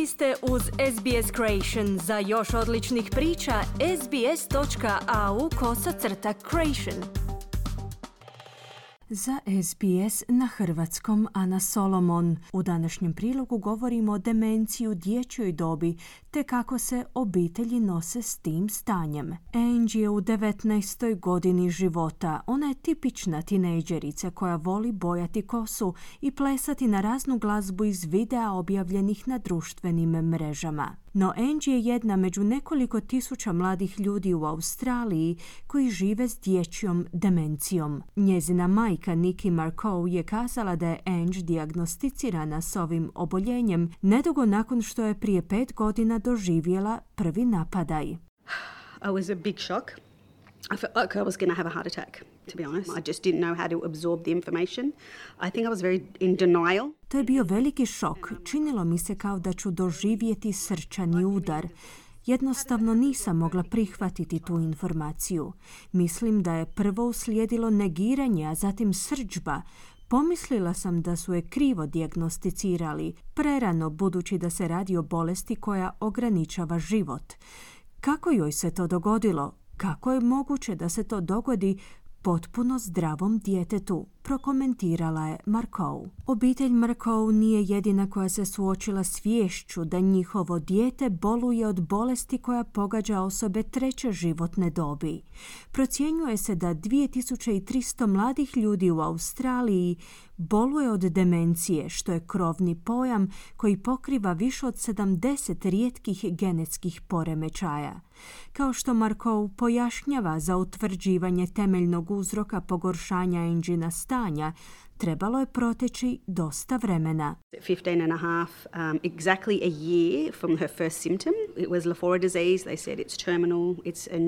Vi ste uz SBS Creation. Za još odličnih priča, sbs.au/creation. Za SBS na hrvatskom Ana Solomon. U današnjem prilogu govorimo o demenciji u dječjoj dobi te kako se obitelji nose s tim stanjem. Angie je u 19. godini života. Ona je tipična tinejdžerica koja voli bojati kosu i plesati na raznu glazbu iz videa objavljenih na društvenim mrežama. No Angie je jedna među nekoliko tisuća mladih ljudi u Australiji koji žive s dječjom demencijom. Njezina majka Nikki Markoe je kazala da je Angie dijagnosticirana s ovim oboljenjem nedugo nakon što je prije 5 godina doživjela prvi napadaj. I was a big shock. I felt like I was going to have a heart attack, to be honest. I just didn't know how to absorb the information. I think I was very in denial. To je bio veliki šok. Činilo mi se kao da ću doživjeti srčani udar. Jednostavno nisam mogla prihvatiti tu informaciju. Mislim da je prvo uslijedilo negiranje, a zatim srdžba. Pomislila sam da su je krivo dijagnosticirali, prerano budući da se radi o bolesti koja ograničava život. Kako joj se to dogodilo? Kako je moguće da se to dogodi potpuno zdravom djetetu? Prokomentirala je Markoe. Obitelj Markoe nije jedina koja se suočila s viješću da njihovo dijete boluje od bolesti koja pogađa osobe treće životne dobi. Procjenjuje se da 2300 mladih ljudi u Australiji boluje od demencije, što je krovni pojam koji pokriva više od 70 rijetkih genetskih poremećaja. Kao što Markoe pojašnjava, za utvrđivanje temeljnog uzroka pogoršanja Angiina stanja trebalo je proteći dosta vremena. 15 and a half, exactly a year from her first symptom. It was Lafora disease. They said it's terminal, it's a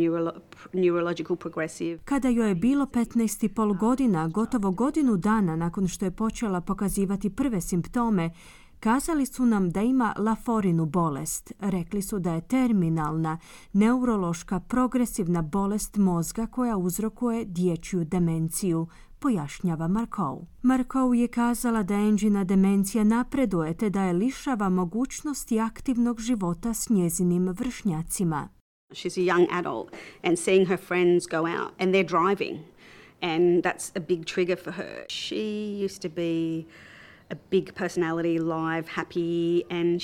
neurological progressive. Kada joj je bilo 15,5 godina, gotovo godinu dana nakon što je počela pokazivati prve simptome, kazali su nam da ima Laforinu bolest. Rekli su da je terminalna, neurološka, progresivna bolest mozga koja uzrokuje dječju demenciju, pojašnjava Markoe. Markoe je kazala da Angiina demencija napreduje te da je lišava mogućnosti aktivnog života s njezinim vršnjacima. She's a young adult and seeing her friends go out and they're driving, and that's a big trigger for her. She used to be a big personality, live, happy, and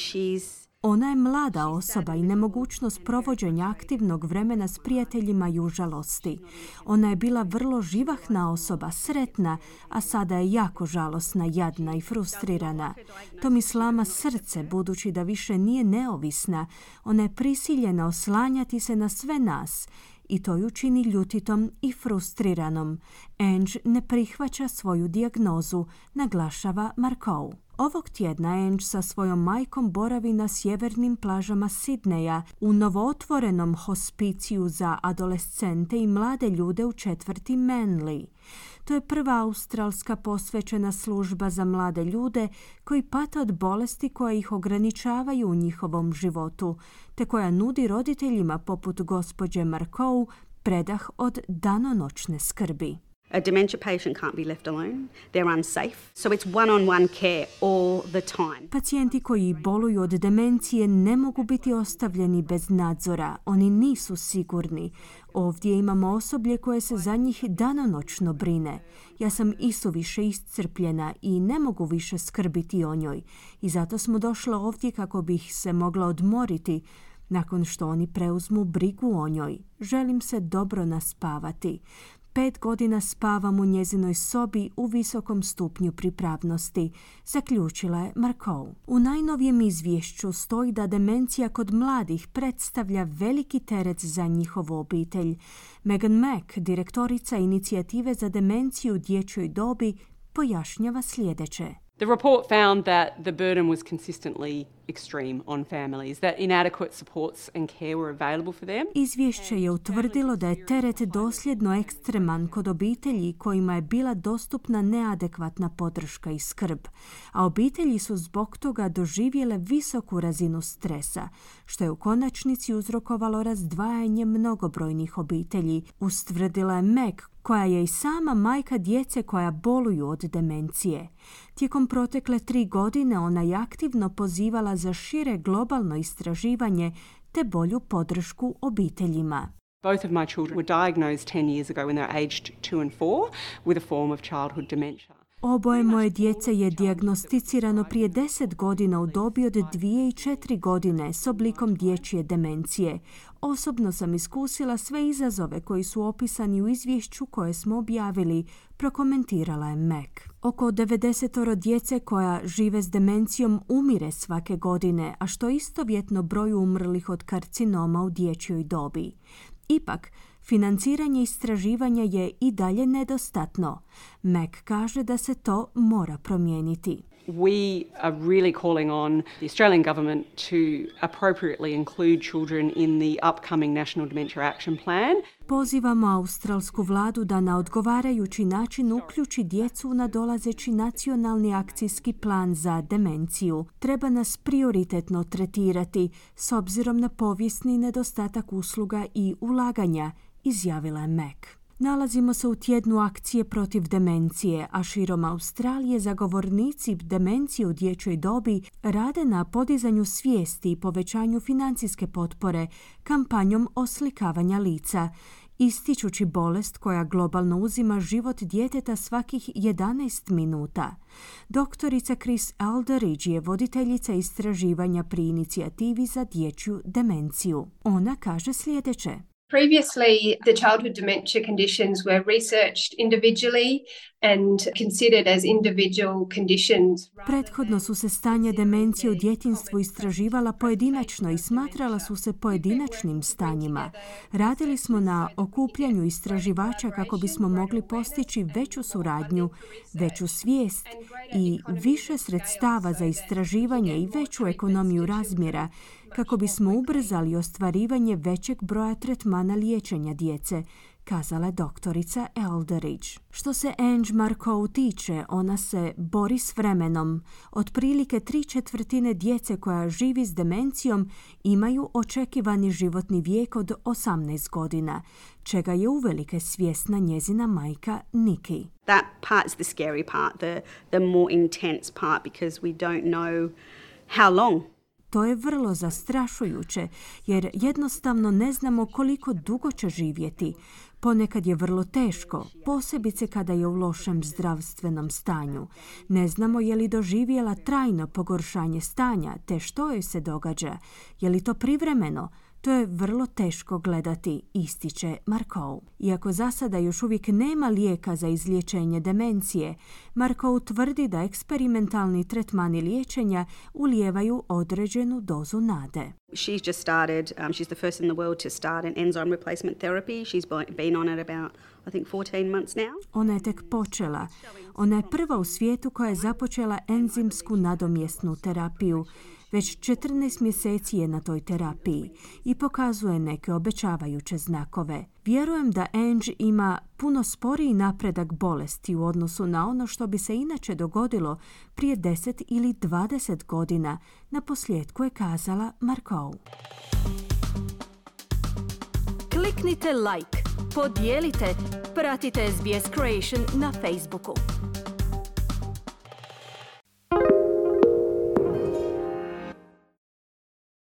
Ona je mlada osoba i nemogućnost provođenja aktivnog vremena s prijateljima ju žalosti. Ona je bila vrlo živahna osoba, sretna, a sada je jako žalosna, jadna i frustrirana. To mi slama srce, budući da više nije neovisna. Ona je prisiljena oslanjati se na sve nas i to ju čini ljutitom i frustriranom. Angie ne prihvaća svoju dijagnozu, naglašava Markoe. Ovog tjedna Angie sa svojom majkom boravi na sjevernim plažama Sidneja u novootvorenom hospiciju za adolescente i mlade ljude u četvrti Manly. To je prva australska posvećena služba za mlade ljude koji pate od bolesti koje ih ograničavaju u njihovom životu, te koja nudi roditeljima poput gospođe Markoe predah od danonoćne skrbi. A dementia patient can't be left alone. They're unsafe. So it's one-on-one care all the time. Pacijenti koji boluju od demencije ne mogu biti ostavljeni bez nadzora. Oni nisu sigurni. Ovdje imamo osoblje koje se za njih danonoćno brine. Ja sam isuviše iscrpljena i ne mogu više skrbiti o njoj. I zato smo došle ovdje kako bih se mogla odmoriti nakon što oni preuzmu brigu o njoj. Želim se dobro naspavati. 5 godina spavam u njezinoj sobi u visokom stupnju pripravnosti, zaključila je Markoe. U najnovijem izvješću stoji da demencija kod mladih predstavlja veliki teret za njihovu obitelj. Megan Mack, direktorica inicijative za demenciju u dječjoj dobi, pojašnjava sljedeće. The report found that the burden was consistently extreme on families, that inadequate supports and care were available for them. Izvješće je utvrdilo da je teret dosljedno ekstreman kod obitelji kojima je bila dostupna neadekvatna podrška i skrb, a obitelji su zbog toga doživjele visoku razinu stresa, što je u konačnici uzrokovalo razdvajanje mnogobrojnih obitelji, ustvrdila je Meg, koja je i sama majka djece koja boluju od demencije. Tijekom protekle 3 godine ona je aktivno pozivala za šire globalno istraživanje te bolju podršku obiteljima. Both of my children were diagnosed 10 years ago when they were aged 2 and 4 with a form of childhood dementia. Oboje moje djece je dijagnosticirano prije 10 godina u dobi od 2 i 4 godine s oblikom dječje demencije. Osobno sam iskusila sve izazove koji su opisani u izvješću koje smo objavili, prokomentirala je Mac. Oko 90 djece koja žive s demencijom umire svake godine, a što istovjetno broju umrlih od karcinoma u dječjoj dobi. Ipak, financiranje istraživanja je i dalje nedostatno. Mac kaže da se to mora promijeniti. We are really calling on the Australian government to appropriately include children in the upcoming National Dementia Action Plan. Pozivamo australsku vladu da na odgovarajući način uključi djecu u nadolazeći nacionalni akcijski plan za demenciju. Treba nas prioritetno tretirati s obzirom na povijesni nedostatak usluga i ulaganja, izjavila je Mac. Nalazimo se u tjednu akcije protiv demencije, a širom Australije zagovornici demencije u dječjoj dobi rade na podizanju svijesti i povećanju financijske potpore kampanjom oslikavanja lica, ističući bolest koja globalno uzima život djeteta svakih 11 minuta. Doktorica Chris Alderidge je voditeljica istraživanja pri inicijativi za dječju demenciju. Ona kaže sljedeće. Previously, the childhood dementia conditions were researched individually and considered as individual conditions. Prethodno su se stanja demencije u djetinjstvu istraživala pojedinačno i smatrala su se pojedinačnim stanjima. Radili smo na okupljanju istraživača kako bismo mogli postići veću suradnju, veću svijest i više sredstava za istraživanje i veću ekonomiju razmjera, kako bismo ubrzali ostvarivanje većeg broja tretmana liječenja djece, kazala je doktorica Alderidge. Što se Ange Marcoux tiče, ona se bori s vremenom. Otprilike 3/4 djece koja živi s demencijom imaju očekivani životni vijek od 18 godina, čega je uvelike svjesna njezina majka Nikki. That part's the scary part, the more intense part, because we don't know how long. To je vrlo zastrašujuće, jer jednostavno ne znamo koliko dugo će živjeti. Ponekad je vrlo teško, posebice kada je u lošem zdravstvenom stanju. Ne znamo je li doživjela trajno pogoršanje stanja, te što joj se događa. Je li to privremeno? To je vrlo teško gledati, ističe Marcoux. Iako za sada još uvijek nema lijeka za izliječenje demencije, Marcoux tvrdi da eksperimentalni tretmani liječenja ulijevaju određenu dozu nade. She's just started, she's the first in the world to start an enzyme replacement therapy. She's been on it about, I think, 14 months now. Ona je tek počela. Ona je prva u svijetu koja je započela enzimsku nadomjesnu terapiju. Već 14 mjeseci je na toj terapiji i pokazuje neke obećavajuće znakove. Vjerujem da Ange ima puno sporiji napredak bolesti u odnosu na ono što bi se inače dogodilo prije 10 ili 20 godina, naposljetku je kazala Marcoux. Kliknite like, podijelite, pratite SBS Creation na Facebooku.